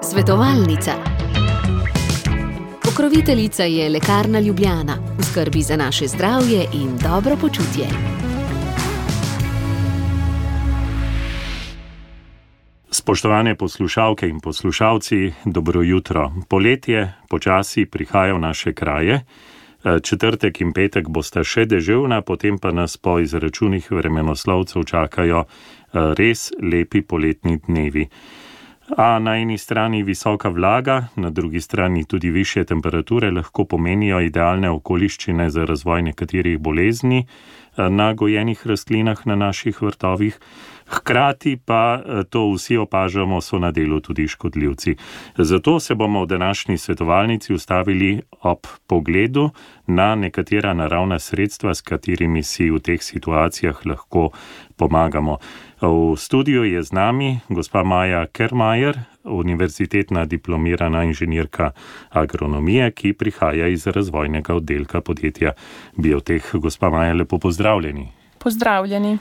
Svetovalnica. Pokroviteljica je Lekarna Ljubljana, v skrbi za naše zdravje in dobro počutje. Spoštovane poslušalke in poslušalci, dobro jutro. Poletje počasi prihaja v naše kraje. Četrtek in petek bosta še deževna, potem pa nas po izračunih vremenoslovcev čakajo res lepi poletni dnevi. A na eni strani visoka vlaga, na drugi strani tudi višje temperature lahko pomenijo idealne okoliščine za razvoj nekaterih bolezni na gojenih rastlinah na naših vrtovih. Hkrati pa to vsi opažamo, so na delu tudi škodljivci. Zato se bomo v današnji svetovalnici ustavili ob pogledu na nekatera naravna sredstva, s katerimi si v teh situacijah lahko pomagamo. V studiu je z nami gospa Maja Kermajer, univerzitetna diplomirana inženirka agronomije, ki prihaja iz razvojnega oddelka podjetja Bioteh. Gospa Maja, lepo pozdravljeni. Pozdravljeni.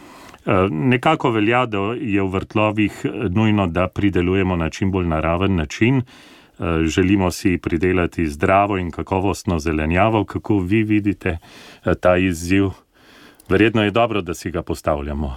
Nekako velja, da je v vrtlovih nujno, da pridelujemo na čim bolj naraven način. Želimo si pridelati zdravo in kakovostno zelenjavo. Kako vi vidite ta izziv? Verjetno je dobro, da si ga postavljamo.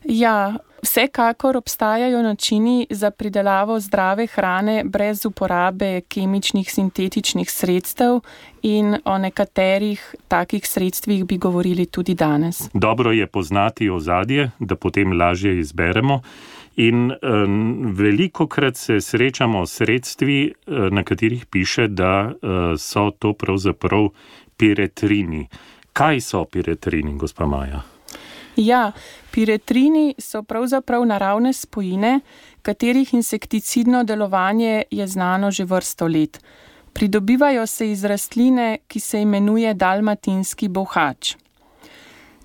Ja, vsekakor obstajajo načini za pridelavo zdrave hrane brez uporabe kemičnih sintetičnih sredstev in o nekaterih takih sredstvih bi govorili tudi danes. Dobro je poznati ozadje, da potem lažje izberemo. In velikokrat se srečamo s sredstvi, na katerih piše, da so to pravzaprav piretrini. Kaj so piretrini, gospa Maja? Ja, piretrini so pravzaprav naravne spojine, katerih insekticidno delovanje je znano že vrsto let. Pridobivajo se iz rastline, ki se imenuje dalmatinski bolhač.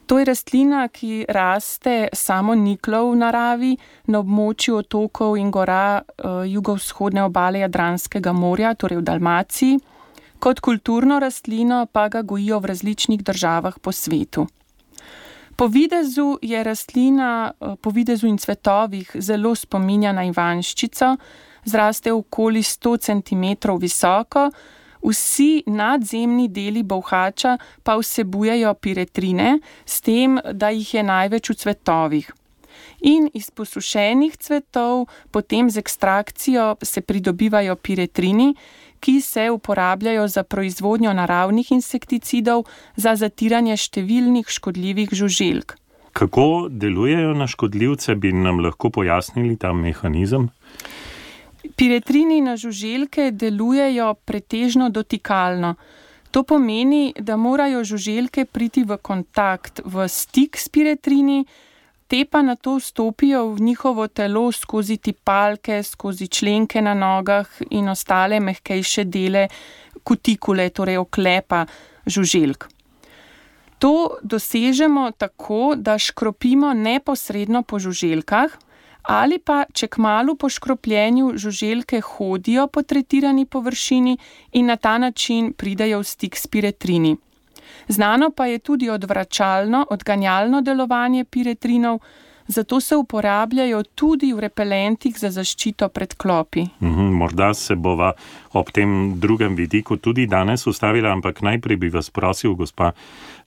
To je rastlina, ki raste samoniklo v naravi na območju otokov in gora jugovzhodne obale Jadranskega morja, torej v Dalmaciji. Kot kulturno rastlino pa ga gojijo v različnih državah po svetu. Po videzu je rastlina, po videzu in cvetovih zelo spominja na ivanjščico, zraste okoli 100 cm visoko, vsi nadzemni deli bolhača pa vsebujejo piretrine, s tem, da jih je največ v cvetovih. In iz posušenih cvetov potem z ekstrakcijo se pridobivajo piretrini, ki se uporabljajo za proizvodnjo naravnih insekticidov za zatiranje številnih škodljivih žuželk. Kako delujejo na škodljivce, bi nam lahko pojasnili ta mehanizem? Piretrini na žuželke delujejo pretežno dotikalno. To pomeni, da morajo žuželke priti v kontakt, v stik s piretrini, te pa nato vstopijo v njihovo telo skozi tipalke, skozi členke na nogah in ostale mehkejše dele kutikule, torej oklepa žuželk. To dosežemo tako, da škropimo neposredno po žuželkah ali pa, če kmalu po škropljenju žuželke hodijo po tretirani površini in na ta način pridejo v stik s piretrini. Znano pa je tudi odvračalno, odganjalno delovanje piretrinov, zato se uporabljajo tudi v repelentih za zaščito pred klopi. Morda se bova ob tem drugem vidiku tudi danes ustavila, ampak najprej bi vas prosil, gospa,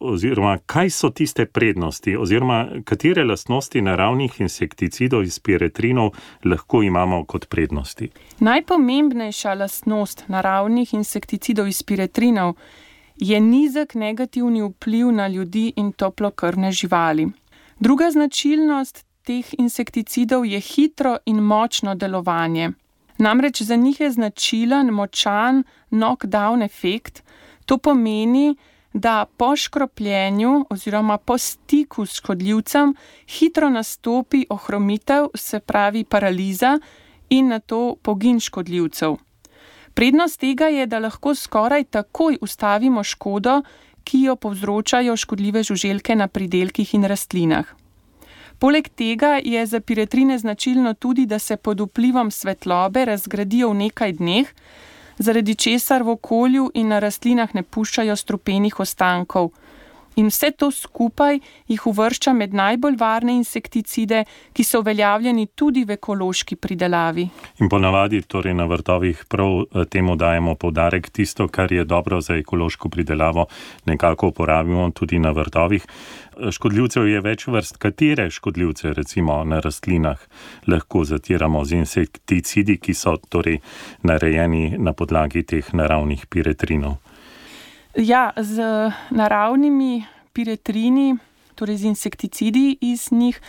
oziroma kaj so tiste prednosti, oziroma katere lastnosti naravnih insekticidov iz piretrinov lahko imamo kot prednosti? Najpomembnejša lastnost naravnih insekticidov iz piretrinov je nizek negativni vpliv na ljudi in toplokrvne živali. Druga značilnost teh insekticidov je hitro in močno delovanje. Namreč za njih je značilen močan knockdown efekt. To pomeni, da po škropljenju oziroma po stiku s škodljivcem hitro nastopi ohromitev, se pravi paraliza, in nato pogin škodljivcev. Prednost tega je, da lahko skoraj takoj ustavimo škodo, ki jo povzročajo škodljive žuželke na pridelkih in rastlinah. Poleg tega je za piretrine značilno tudi, da se pod vplivom svetlobe razgradijo v nekaj dneh, zaradi česar v okolju in na rastlinah ne puščajo strupenih ostankov. In vse to skupaj jih uvršča med najbolj varne insekticide, ki so uveljavljeni tudi v ekološki pridelavi. In ponavadi torej na vrtovih prav temu dajemo poudarek, tisto, kar je dobro za ekološko pridelavo, nekako uporabimo tudi na vrtovih. Škodljivcev je več vrst. Katere škodljivce recimo na rastlinah lahko zatiramo z insekticidi, ki so torej narejeni na podlagi teh naravnih piretrinov? Ja, z naravnimi piretrini, torej z insekticidi iz njih,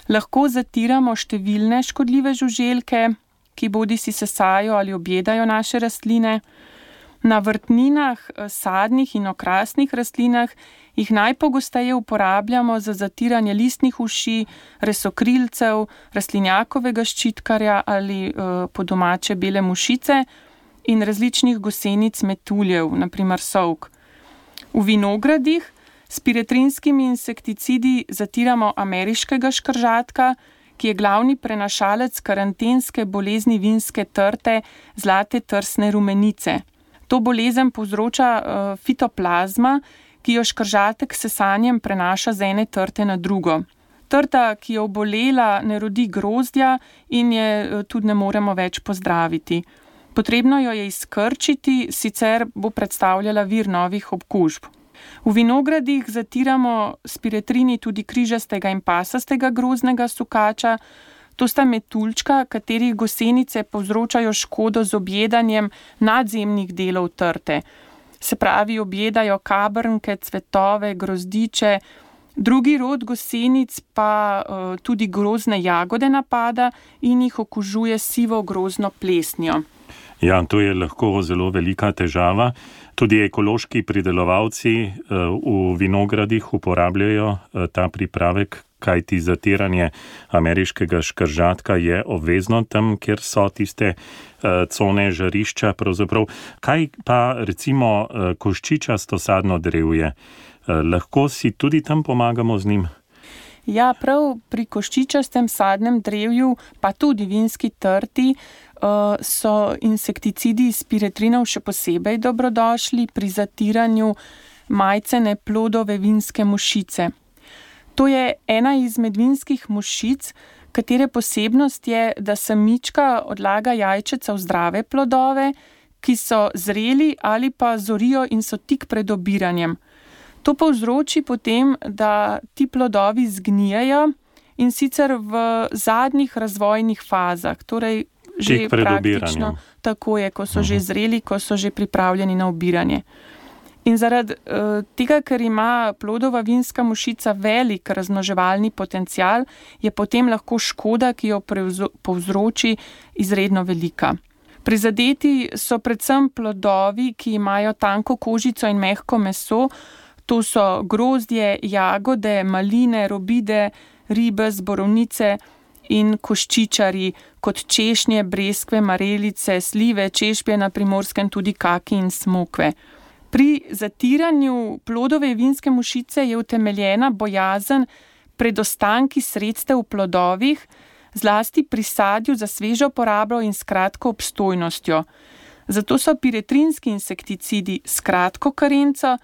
lahko zatiramo številne škodljive žuželke, ki bodisi sesajo ali objedajo naše rastline. Na vrtninah, sadnih in okrasnih rastlinah jih najpogosteje uporabljamo za zatiranje listnih uši, resokrilcev, rastlinjakovega ščitkarja ali po domače bele mušice in različnih gosenic metuljev, naprimer sovk. V vinogradih s piretrinskimi insekticidi zatiramo ameriškega škržatka, ki je glavni prenašalec karantenske bolezni vinske trte, zlate trsne rumenice. To bolezen povzroča fitoplazma, ki jo škržatek s sesanjem prenaša z ene trte na drugo. Trta, ki je obolela, ne rodi grozdja in je tudi ne moremo več pozdraviti. Potrebno jo je izkrčiti, sicer bo predstavljala vir novih okužb. V vinogradih zatiramo s piretrini tudi križastega in pasastega grozdnega sukača. To sta metuljčka, katerih gosenice povzročajo škodo z objedanjem nadzemnih delov trte. Se pravi, objedajo kabrnke, cvetove, grozdiče. Drugi rod gosenic pa tudi grozdne jagode napada in jih okužuje sivo grozdno plesnjo. Ja, to je lahko zelo velika težava. Tudi ekološki pridelovalci v vinogradih uporabljajo ta pripravek, kajti zatiranje ameriškega škržatka je obvezno tam, kjer so tiste cone žarišča pravzaprav. Kaj pa recimo koščičasto sadno drevje? Lahko si tudi tam pomagamo z njim? Ja, prav pri koščičastem sadnem drevju, pa tudi vinski trti, so insekticidi iz piretrinov še posebej dobrodošli pri zatiranju majcene plodove vinske mušice. To je ena izmed vinskih mušic, katere posebnost je, da samička odlaga jajčeca v zdrave plodove, ki so zreli ali pa zorijo in so tik pred obiranjem. To povzroči potem, da ti plodovi zgnijejo in sicer v zadnjih razvojnih fazah, torej že praktično tako je, ko so že zreli, ko so že pripravljeni na obiranje. In zaradi tega, ker ima plodova vinska mušica velik razmnoževalni potencial, je potem lahko škoda, ki jo povzroči, izredno velika. Prizadeti so predvsem plodovi, ki imajo tanko kožico in mehko meso. To so grozdje, jagode, maline, robide, ribez, borovnice in koščičari, kot češnje, breskve, marelice, slive, češpje na Primorskem, tudi kaki in smokve. Pri zatiranju plodove vinske mušice je utemeljena bojazen pred ostanki sredstev v plodovih, zlasti pri sadju za svežo porabo in s kratko obstojnostjo. Zato so piretrinski insekticidi s kratko karenco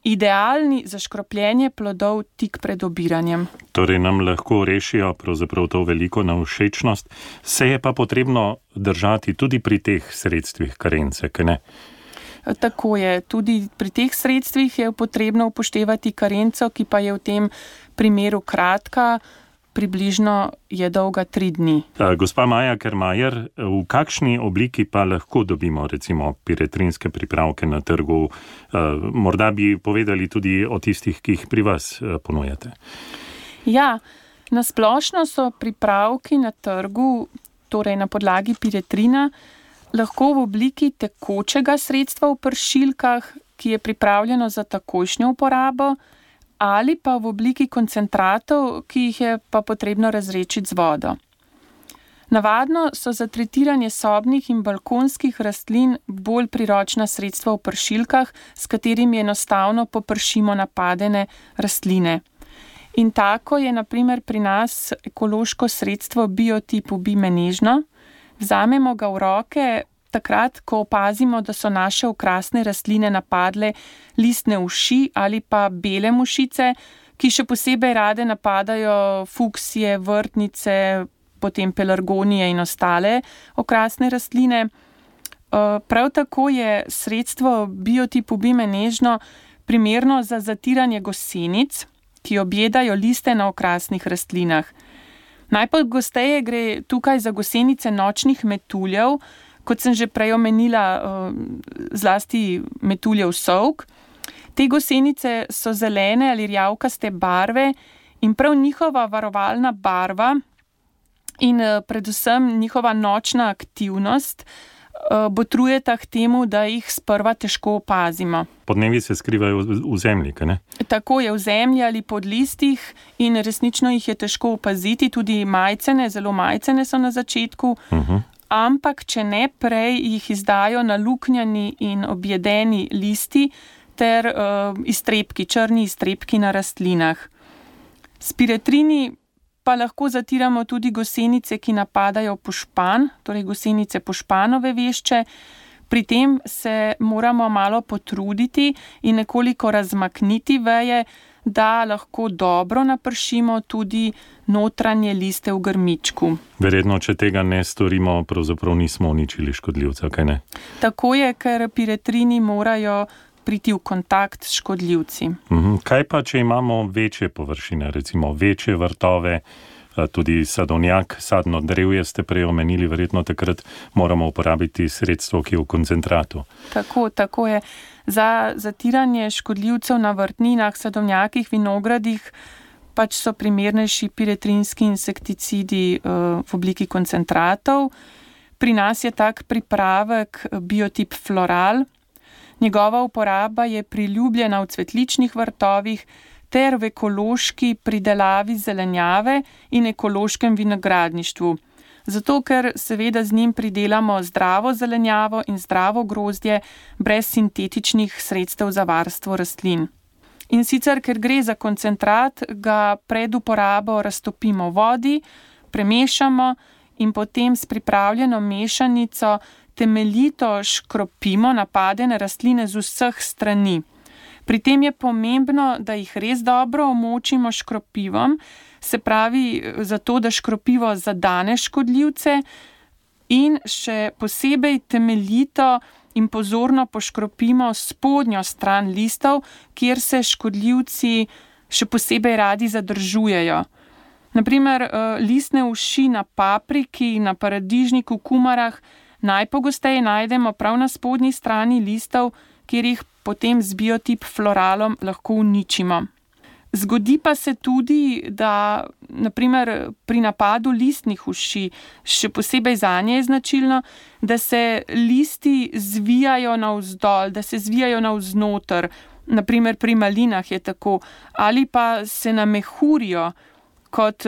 idealni za škropljenje plodov tik pred obiranjem. Torej nam lahko rešijo pravzaprav to veliko nevšečnost. Se je pa potrebno držati tudi pri teh sredstvih karence, kaj ne? Tako je. Tudi pri teh sredstvih je potrebno upoštevati karenco, ki pa je v tem primeru kratka, približno je dolga 3 dni. Gospa Maja Kermajer, v kakšni obliki pa lahko dobimo recimo piretrinske pripravke na trgu? Morda bi povedali tudi o tistih, ki jih pri vas ponujate. Ja, na splošno so pripravki na trgu, torej na podlagi piretrina, lahko v obliki tekočega sredstva v pršilkah, ki je pripravljeno za takojšnjo uporabo, ali pa v obliki koncentratov, ki jih je pa potrebno razredčiti z vodo. Navadno so za tretiranje sobnih in balkonskih rastlin bolj priročna sredstva v pršilkah, s katerimi enostavno popršimo napadene rastline. In tako je na primer pri nas ekološko sredstvo biotipu Bime nežno. Vzamemo ga v roke, takrat, ko opazimo, da so naše okrasne rastline napadle listne uši ali pa bele mušice, ki še posebej rade napadajo fuksije, vrtnice, potem pelargonije in ostale okrasne rastline. Prav tako je sredstvo Biotip ubime nežno primerno za zatiranje gosenic, ki objedajo liste na okrasnih rastlinah. Najpogosteje gre tukaj za gosenice nočnih metuljev, kot sem že prej omenila, zlasti metuljev sovk. Te gosenice so zelene ali rjavkaste barve in prav njihova varovalna barva in predvsem njihova nočna aktivnost botrujeta k temu, da jih sprva težko opazimo. Podnevi se skrivajo v zemlji, ne? Tako je, v zemlji ali pod listih in resnično jih je težko opaziti, tudi majcene, zelo majcene so na začetku, ampak če ne prej jih izdajo naluknjani in objedeni listi ter iztrebki, črni iztrebki na rastlinah. S piretrini pa lahko zatiramo tudi gosenice, ki napadajo pošpan, torej gosenice pošpanove vešče. Pri tem se moramo malo potruditi in nekoliko razmakniti veje, da lahko dobro napršimo tudi notranje liste v grmičku. Verjetno, če tega ne storimo, pravzaprav nismo uničili škodljivca, kaj ne? Tako je, ker piretrini morajo priti v kontakt s škodljivci. Kaj pa, če imamo večje površine, recimo večje vrtove, tudi sadovnjak, sadno drevje ste prej omenili, verjetno takrat moramo uporabiti sredstvo, ki je v koncentratu. Tako je. Za zatiranje škodljivcev na vrtninah, sadovnjakih, vinogradih pač so primernejši piretrinski insekticidi v obliki koncentratov. Pri nas je tak pripravek Biotip Floral. Njegova uporaba je priljubljena v cvetličnih vrtovih ter v ekološki pridelavi zelenjave in ekološkem vinogradništvu. Zato, ker seveda z njim pridelamo zdravo zelenjavo in zdravo grozdje brez sintetičnih sredstev za varstvo rastlin. In sicer, ker gre za koncentrat, ga pred uporabo raztopimo v vodi, premešamo in potem s pripravljeno mešanico temeljito škropimo napadene rastline z vseh strani. Pri tem je pomembno, da jih res dobro omočimo škropivom, se pravi zato, da škropivo zadane škodljivce in še posebej temeljito in pozorno poškropimo spodnjo stran listov, kjer se škodljivci še posebej radi zadržujejo. Naprimer, listne uši na papriki, na paradižniku, kumarah najpogosteje najdemo prav na spodnji strani listov, kjer jih potem z Biotip Floralom lahko uničimo. Zgodi pa se tudi, da naprimer pri napadu listnih uši, še posebej zanje je značilno, da se listi zvijajo navzdol, da se zvijajo navznoter, naprimer pri malinah je tako, ali pa se namehurijo kot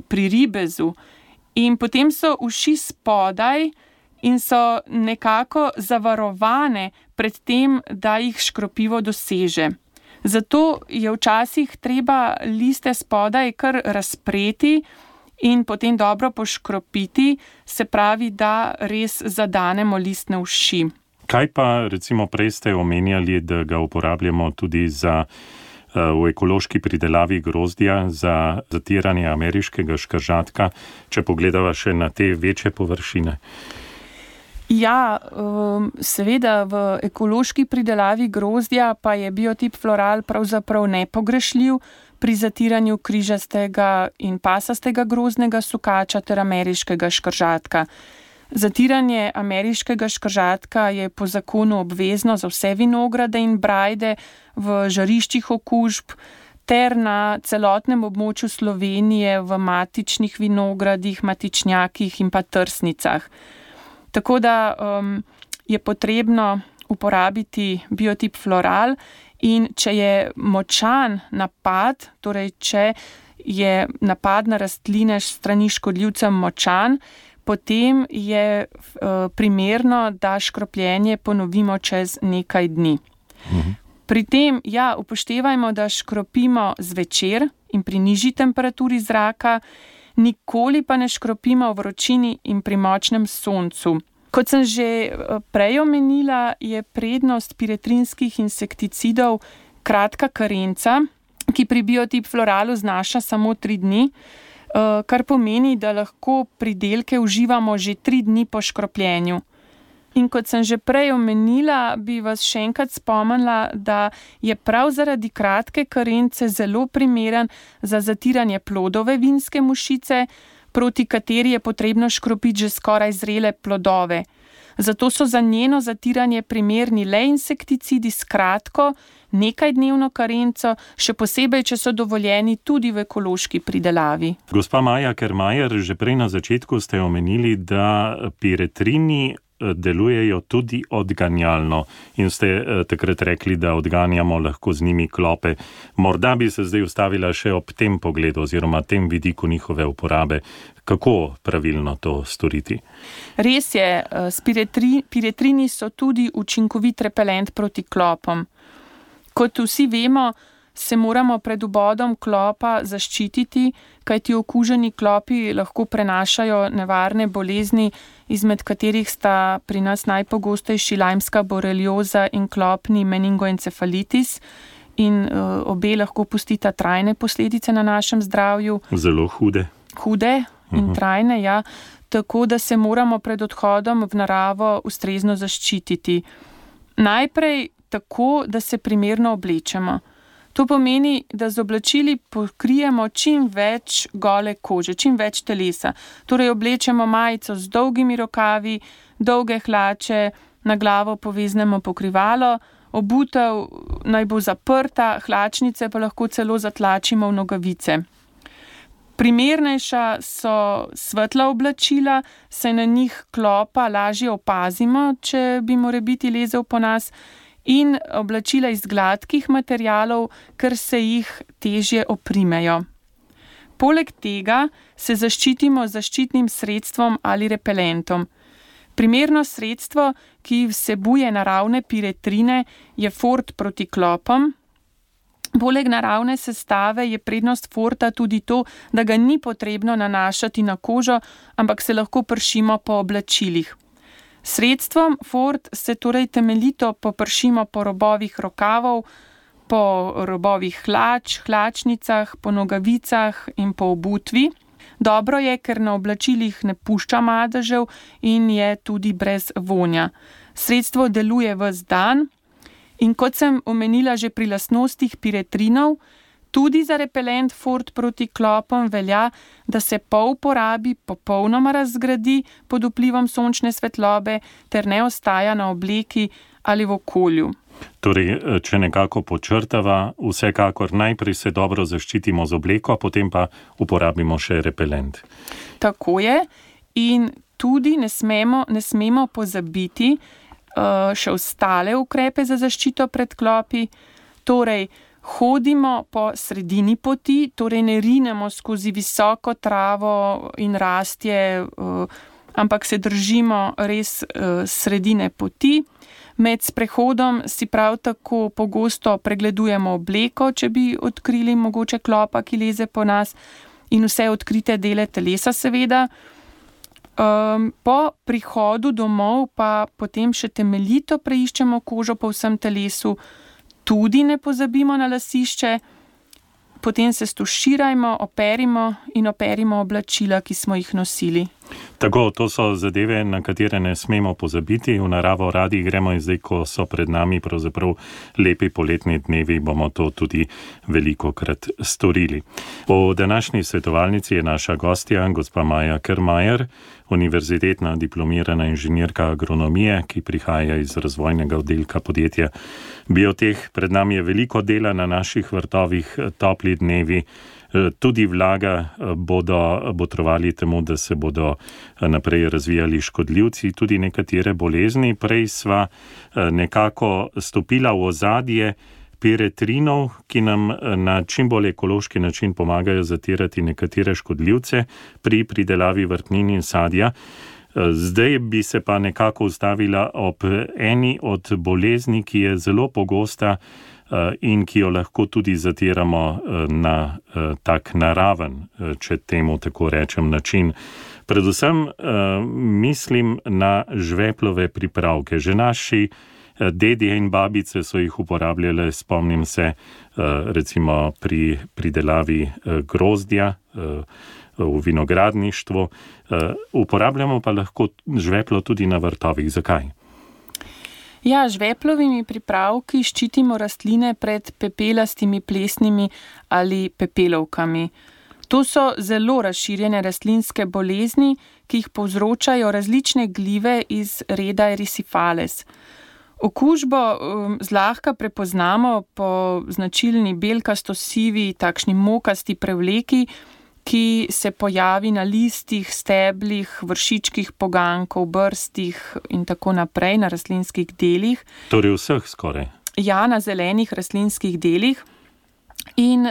pri ribezu. In potem so uši spodaj in so nekako zavarovane pred tem, da jih škropivo doseže. Zato je včasih treba liste spodaj kar razpreti in potem dobro poškropiti, se pravi, da res zadanemo listne uši. Kaj pa, recimo, prej ste omenjali, da ga uporabljamo tudi v ekološki pridelavi grozdja za zatiranje ameriškega škržatka, če pogledava še na te večje površine? Ja, seveda v ekološki pridelavi grozdja pa je Biotip Floral pravzaprav nepogrešljiv pri zatiranju križastega in pasastega grozdnega sukača ter ameriškega škržatka. Zatiranje ameriškega škržatka je po zakonu obvezno za vse vinograde in brajde v žariščih okužb ter na celotnem območju Slovenije v matičnih vinogradih, matičnjakih in pa trsnicah. Tako da je potrebno uporabiti Biotip Floral in če je močan napad, torej če je napad na rastline s strani škodljivcem močan, potem je primerno, da škropljenje ponovimo čez nekaj dni. Pri tem, upoštevajmo, da škropimo zvečer in pri nižji temperaturi zraka, nikoli pa ne škropimo v vročini in pri močnem soncu. Kot sem že prej omenila, je prednost piretrinskih insekticidov kratka karenca, ki pri Biotip Floralu znaša samo 3 dni, kar pomeni, da lahko pridelke uživamo že 3 dni po škropljenju. In kot sem že prej omenila, bi vas še enkrat spomnila, da je prav zaradi kratke karence zelo primeren za zatiranje plodove vinske mušice, proti kateri je potrebno škropiti že skoraj zrele plodove. Zato so za njeno zatiranje primerni le insekticidi s kratko, nekajdnevno karenco, še posebej, če so dovoljeni tudi v ekološki pridelavi. Gospa Maja Kermajer, že prej na začetku ste omenili, da piretrini delujejo tudi odganjalno in ste takrat rekli, da odganjamo lahko z njimi klope. Morda bi se zdaj ustavila še ob tem pogledu oziroma tem vidiku njihove uporabe. Kako pravilno to storiti? Res je, piretrini so tudi učinkovit repelent proti klopom. Kot vsi vemo, se moramo pred vbodom klopa zaščititi, kajti okuženi klopi lahko prenašajo nevarne bolezni, izmed katerih sta pri nas najpogostejši lajmska borelioza in klopni meningoencefalitis, in obe lahko pustita trajne posledice na našem zdravju. Zelo hude. Hude in trajne, ja. Tako da se moramo pred odhodom v naravo ustrezno zaščititi. Najprej tako, da se primerno oblečemo. To pomeni, da z oblačili pokrijemo čim več gole kože, čim več telesa. Torej oblečemo majico z dolgimi rokavi, dolge hlače, na glavo poveznemo pokrivalo, obutev naj bo zaprta, hlačnice pa lahko celo zatlačimo v nogavice. Primernejša so svetla oblačila, saj na njih klopa lažje opazimo, če bi morebiti lezel po nas, in oblačila iz gladkih materialov, ker se jih težje oprimejo. Poleg tega se zaščitimo z zaščitnim sredstvom ali repelentom. Primerno sredstvo, ki vsebuje naravne piretrine, je fort proti klopom. Poleg naravne sestave je prednost forta tudi to, da ga ni potrebno nanašati na kožo, ampak se lahko pršimo po oblačilih. Sredstvom fort se torej temeljito popršimo po robovih rokavov, po robovih hlač, hlačnicah, po nogavicah in po obutvi. Dobro je, ker na oblačilih ne pušča madežev in je tudi brez vonja. Sredstvo deluje ves dan in kot sem omenila že pri lastnostih piretrinov, tudi za repelent fort proti klopom velja, da se po uporabi popolnoma razgradi pod vplivom sončne svetlobe ter ne ostaja na obleki ali v okolju. Torej, če nekako počrtava, vsekakor najprej se dobro zaščitimo z obleko, potem pa uporabimo še repelent. Tako je in tudi ne smemo pozabiti še ostale ukrepe za zaščito pred klopi, torej hodimo po sredini poti, torej ne rinemo skozi visoko travo in rastje, ampak se držimo res sredine poti. Med sprehodom si prav tako pogosto pregledujemo obleko, če bi odkrili mogoče klopa, ki leze po nas, in vse odkrite dele telesa seveda. Po prihodu domov pa potem še temeljito preiščemo kožo po vsem telesu, tudi ne pozabimo na lasišče, potem se stuširajmo, operimo oblačila, ki smo jih nosili. Tako, to so zadeve, na katere ne smemo pozabiti. V naravo radi gremo in zdaj, ko so pred nami pravzaprav lepi poletni dnevi, bomo to tudi velikokrat storili. Po današnji svetovalnici je naša gostja, gospa Maja Kermajer, univerzitetna diplomirana inženirka agronomije, ki prihaja iz razvojnega oddelka podjetja Bioteh. Pred nami je veliko dela na naših vrtovih, topli dnevi, tudi vlaga bodo botrovali temu, da se bodo naprej razvijali škodljivci, tudi nekatere bolezni. Prej sva nekako stopila v ozadje piretrinov, ki nam na čim bolj ekološki način pomagajo zatirati nekatere škodljivce pri pridelavi vrtnin in sadja. Zdaj bi se pa nekako ustavila ob eni od bolezni, ki je zelo pogosta in ki jo lahko tudi zatiramo na tak naraven, če temu tako rečem, način. Predvsem mislim na žveplove pripravke. Že naši dedje in babice so jih uporabljale, spomnim se, recimo pri pridelavi grozdja v vinogradništvu. Uporabljamo pa lahko žveplo tudi na vrtovih. Zakaj? Ja, žveplovimi pripravki ščitimo rastline pred pepelastimi plesnimi ali pepelovkami. To so zelo razširjene rastlinske bolezni, ki jih povzročajo različne glive iz reda Erysiphales. Okužbo zlahka prepoznamo po značilni belkasto-sivi, takšni mokasti prevleki, ki se pojavi na listih, steblih, vršičkih pogankov, brstih in tako naprej na rastlinskih delih. Torej vseh skoraj? Ja, na zelenih rastlinskih delih. In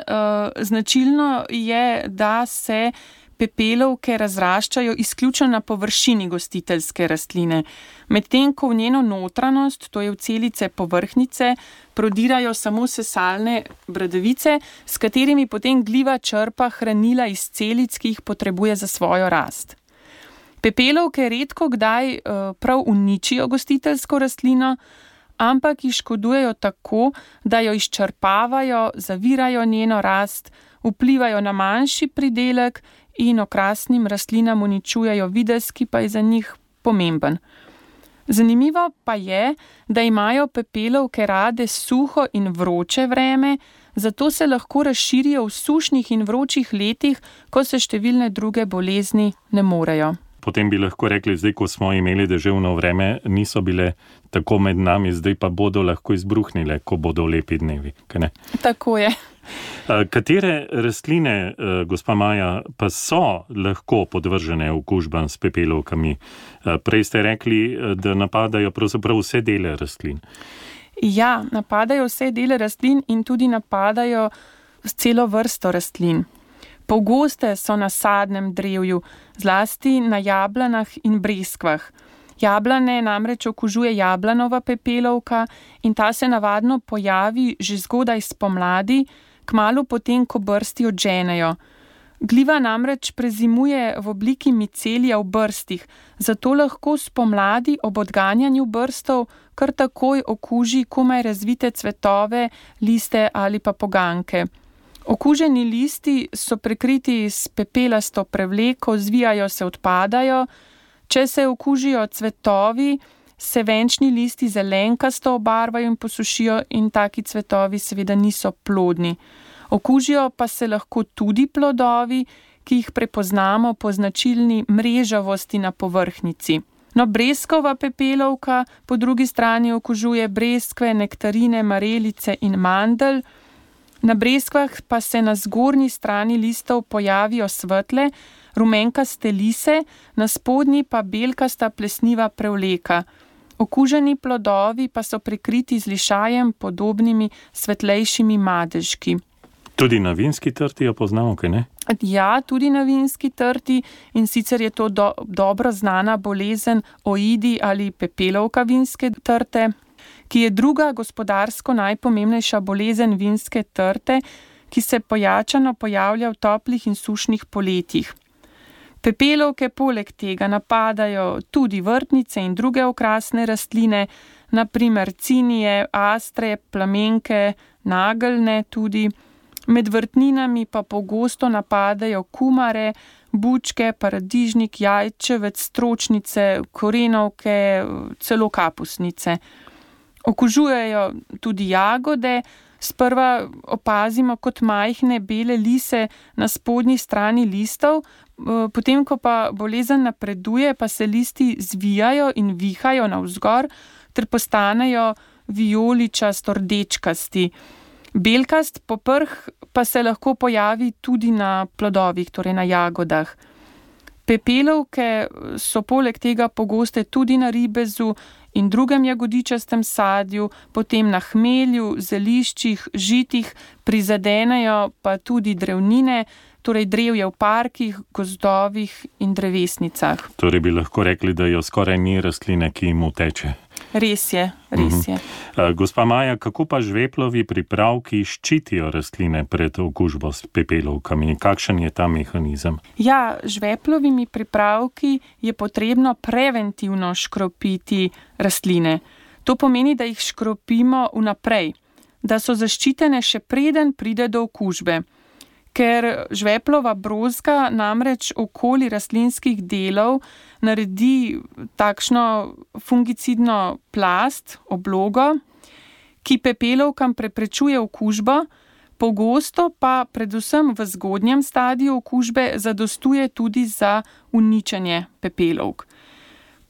značilno je, da se pepelovke razraščajo izključno na površini gostiteljske rastline, medtem ko v njeno notranjost, to je v celice povrhnjice, prodirajo samo sesalne bradavice, s katerimi potem gliva črpa hranila iz celic, ki jih potrebuje za svojo rast. Pepelovke redko kdaj prav uničijo gostiteljsko rastlino, ampak jih škodujejo tako, da jo izčrpavajo, zavirajo njeno rast, vplivajo na manjši pridelek in okrasnim rastlinam uničujejo videz, ki pa je za njih pomemben. Zanimivo pa je, da imajo pepelovke rade suho in vroče vreme, zato se lahko razširijo v sušnih in vročih letih, ko se številne druge bolezni ne morejo. Potem bi lahko rekli, zdaj, ko smo imeli deževno vreme, niso bile tako med nami, zdaj pa bodo lahko izbruhnile, ko bodo lepi dnevi. Tako je. Katere rastline, gospa Maja, pa so lahko podvržene okužbam s pepelovkami? Prej ste rekli, da napadajo pravzaprav vse dele rastlin. Ja, napadajo vse dele rastlin in tudi napadajo celo vrsto rastlin. Pogoste so na sadnem drevju, zlasti na jablanah in breskvah. Jablane namreč okužuje jablanova pepelovka in ta se navadno pojavi že zgodaj spomladi, kmalu potem, ko brsti odženejo. Gliva namreč prezimuje v obliki micelija v brstih, zato lahko spomladi ob odganjanju brstov kar takoj okuži komaj razvite cvetove, liste ali pa poganke. Okuženi listi so prekriti s pepelasto prevleko, zvijajo se, odpadajo. Če se okužijo cvetovi, se venčni listi zelenkasto obarvajo in posušijo in taki cvetovi seveda niso plodni. Okužijo pa se lahko tudi plodovi, ki jih prepoznamo po značilni mrežavosti na povrhnjici. No, breskova pepelovka po drugi strani okužuje breskve, nektarine, marelice in mandelj. Na breskvah pa se na zgornji strani listov pojavijo svetle, rumenkaste lise, na spodnji pa belkasta plesniva prevleka. Okuženi plodovi pa so prekriti z lišajem podobnimi svetlejšimi madežki. Tudi na vinski trti jo poznamo, kaj ne? Ja, tudi na vinski trti, in sicer je to dobro znana bolezen oidi ali pepelovka vinske trte, ki je druga gospodarsko najpomembnejša bolezen vinske trte, ki se pojačano pojavlja v toplih in sušnih poletjih. Pepelovke poleg tega napadajo tudi vrtnice in druge okrasne rastline, na primer cinije, astre, plamenke, nageljne tudi. Med vrtninami pa pogosto napadajo kumare, bučke, paradižnik, jajčevec, stročnice, korenovke, celo kapusnice. Okužujejo tudi jagode, sprva opazimo kot majhne bele lise na spodnji strani listov, potem ko pa bolezen napreduje, pa se listi zvijajo in vihajo navzgor ter postanejo vijoličasto rdečkasti. Belkast poprh pa se lahko pojavi tudi na plodovih, torej na jagodah. Pepelovke so poleg tega pogoste tudi na ribezu in drugem jagodičastem sadju, potem na hmelju, zeliščih, žitih, prizadenejo pa tudi drevnine, torej drevje v parkih, gozdovih in drevesnicah. Torej bi lahko rekli, da jo skoraj ni rastline, ki jim uteče. Res je. Gospa Maja, kako pa žveplovi pripravki ščitijo rastline pred okužbo s pepelovkami? Kakšen je ta mehanizem? Ja, žveplovimi pripravki je potrebno preventivno škropiti rastline. To pomeni, da jih škropimo vnaprej, da so zaščitene še preden pride do okužbe. Ker žveplova brozga namreč okoli rastlinskih delov naredi takšno fungicidno plast, oblogo, ki pepelovkam preprečuje okužbo, pogosto pa predvsem v zgodnjem stadiju okužbe zadostuje tudi za uničenje pepelovk.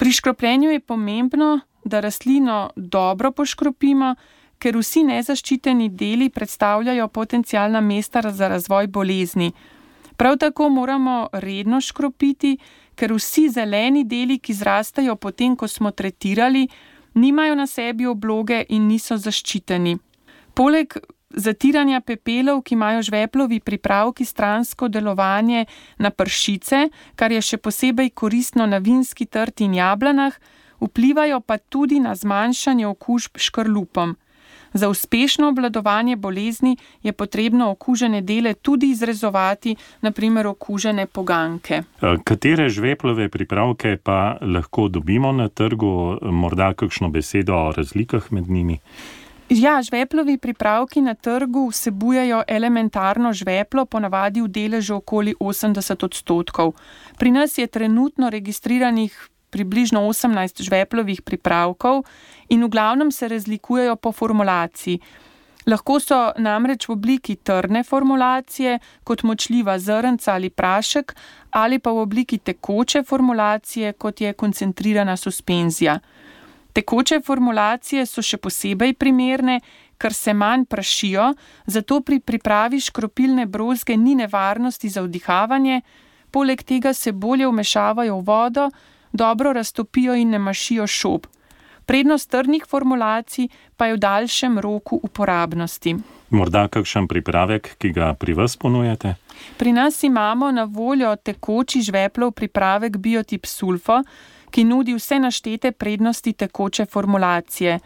Pri škropljenju je pomembno, da rastlino dobro poškropimo, ker vsi nezaščiteni deli predstavljajo potencialna mesta za razvoj bolezni. Prav tako moramo redno škropiti, ker vsi zeleni deli, ki zrastajo potem, ko smo tretirali, nimajo na sebi obloge in niso zaščiteni. Poleg zatiranja pepelov, ki imajo žveplovi pripravki stransko delovanje na pršice, kar je še posebej koristno na vinski trti in jablanah, vplivajo pa tudi na zmanjšanje okužb škrlupom. Za uspešno obvladovanje bolezni je potrebno okužene dele tudi izrezovati, naprimer okužene poganke. Katere žveplove pripravke pa lahko dobimo na trgu? Morda kakšno besedo o razlikah med njimi? Ja, žveplovi pripravki na trgu vsebujejo elementarno žveplo, ponavadi v deležu okoli 80%. Pri nas je trenutno registriranih približno 18 žveplovih pripravkov in v glavnem se razlikujejo po formulaciji. Lahko so namreč v obliki trdne formulacije, kot močljiva zrnca ali prašek, ali pa v obliki tekoče formulacije, kot je koncentrirana suspenzija. Tekoče formulacije so še posebej primerne, ker se manj prašijo, zato pri pripravi škropilne brozge ni nevarnosti za vdihavanje, poleg tega se bolje vmešavajo v vodo, dobro raztopijo in ne mašijo šob. Prednost trdnih formulacij pa je v daljšem roku uporabnosti. Morda kakšen pripravek, ki ga pri vas ponujate? Pri nas imamo na voljo tekoči žveplov pripravek Biotip Sulfo, ki nudi vse naštete prednosti tekoče formulacije.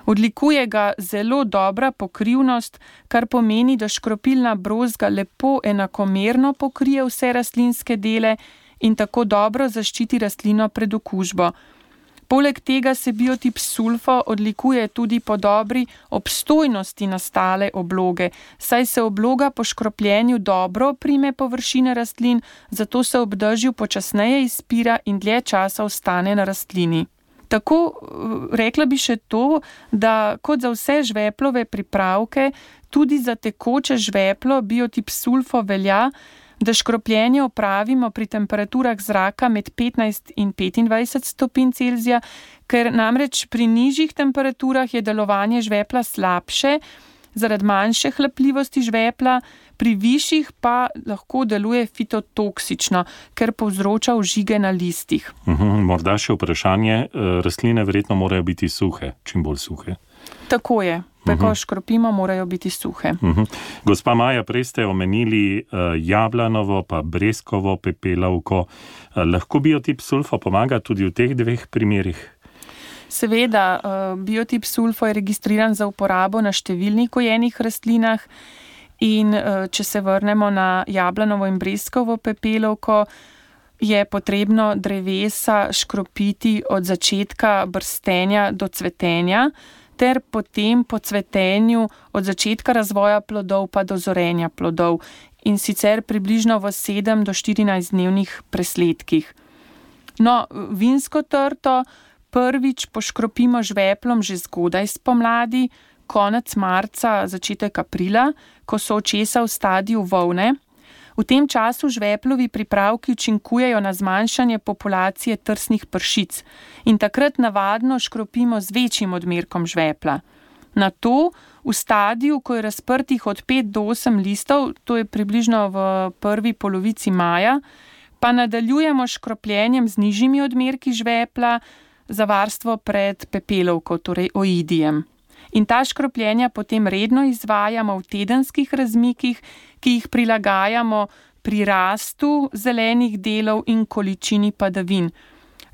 Odlikuje ga zelo dobra pokrivnost, kar pomeni, da škropilna brozga lepo enakomerno pokrije vse rastlinske dele in tako dobro zaščiti rastlino pred okužbo. Poleg tega se Biotip Sulfo odlikuje tudi po dobri obstojnosti nastale obloge, saj se obloga po škropljenju dobro prime površine rastlin, zato se ob dežju počasneje izpira in dlje časa ostane na rastlini. Tako rekla bi še to, da kot za vse žveplove pripravke, tudi za tekoče žveplo Biotip Sulfo velja, da škropljenje opravimo pri temperaturah zraka med 15 in 25 stopinj Celzija, ker namreč pri nižjih temperaturah je delovanje žvepla slabše, zaradi manjše hlapljivosti žvepla, pri višjih pa lahko deluje fitotoksično, ker povzroča ožige na listih. Morda še vprašanje, rastline verjetno morajo biti suhe, čim bolj suhe. Tako je. Ko škropimo, morajo biti suhe. Gospa Maja, prej ste omenili jablanovo pa breskovo pepelovko. Lahko Biotip Sulfo pomaga tudi v teh dveh primerih? Seveda, Biotip Sulfo je registriran za uporabo na številnih gojenih rastlinah in če se vrnemo na jablanovo in breskovo pepelovko, je potrebno drevesa škropiti od začetka brstenja do cvetenja, ter potem po cvetenju od začetka razvoja plodov pa do zorenja plodov in sicer približno v 7 do 14 dnevnih presledkih. No, vinsko trto prvič poškropimo žveplom že zgodaj spomladi, konec marca, začetek aprila, ko so očesa v stadiju volne. V tem času žveplovi pripravki učinkujejo na zmanjšanje populacije trsnih pršic in takrat navadno škropimo z večjim odmerkom žvepla. Nato, v stadiju, ko je razprtih od 5 do 8 listov, to je približno v prvi polovici maja, pa nadaljujemo škropljenjem z nižjimi odmerki žvepla za varstvo pred pepelovko, torej oidijem. In ta škropljenja potem redno izvajamo v tedenskih razmikih, ki jih prilagajamo pri rastu zelenih delov in količini padavin.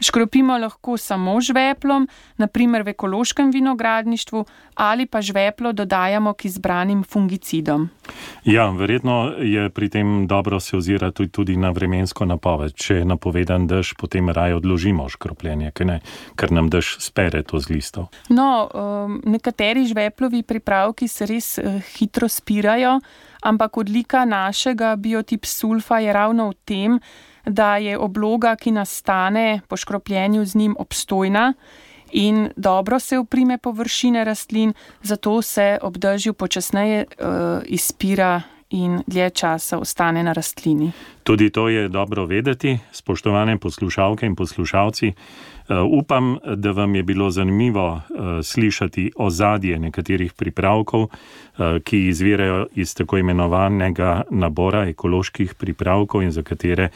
Škropimo lahko samo žveplom, naprimer v ekološkem vinogradništvu, ali pa žveplo dodajamo k izbranim fungicidom. Ja, verjetno je pri tem dobro se ozirati tudi na vremensko napoved. Če je napovedan dež, potem raje odložimo škropljenje, ker nam dež spere to z listov. No, nekateri žveplovi pripravki se res hitro spirajo, ampak odlika našega biotip sulfa je ravno v tem, da je obloga, ki nastane po škropljenju z njim, obstojna in dobro se oprime površine rastlin, zato se ob dežju počasneje izpira in dlje časa ostane na rastlini. Tudi to je dobro vedeti, spoštovane poslušalke in poslušalci. Upam, da vam je bilo zanimivo slišati ozadje nekaterih pripravkov, ki izvirajo iz tako imenovanega nabora ekoloških pripravkov in za katere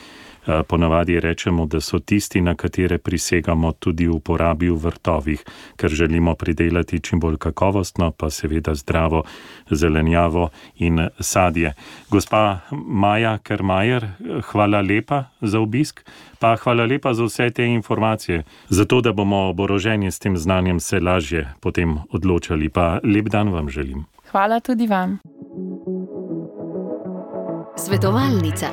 ponavadi rečemo, da so tisti, na katere prisegamo tudi v uporabi v vrtovih, ker želimo pridelati čim bolj kakovostno, pa seveda zdravo zelenjavo in sadje. Gospa Maja Kermajer, hvala lepa za obisk, pa hvala lepa za vse te informacije, zato da bomo oboroženi s tem znanjem se lažje potem odločali. Pa lep dan vam želim. Hvala tudi vam. Svetovalnica.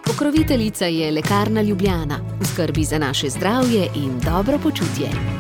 Pokroviteljica je Lekarna Ljubljana, v skrbi za naše zdravje in dobro počutje.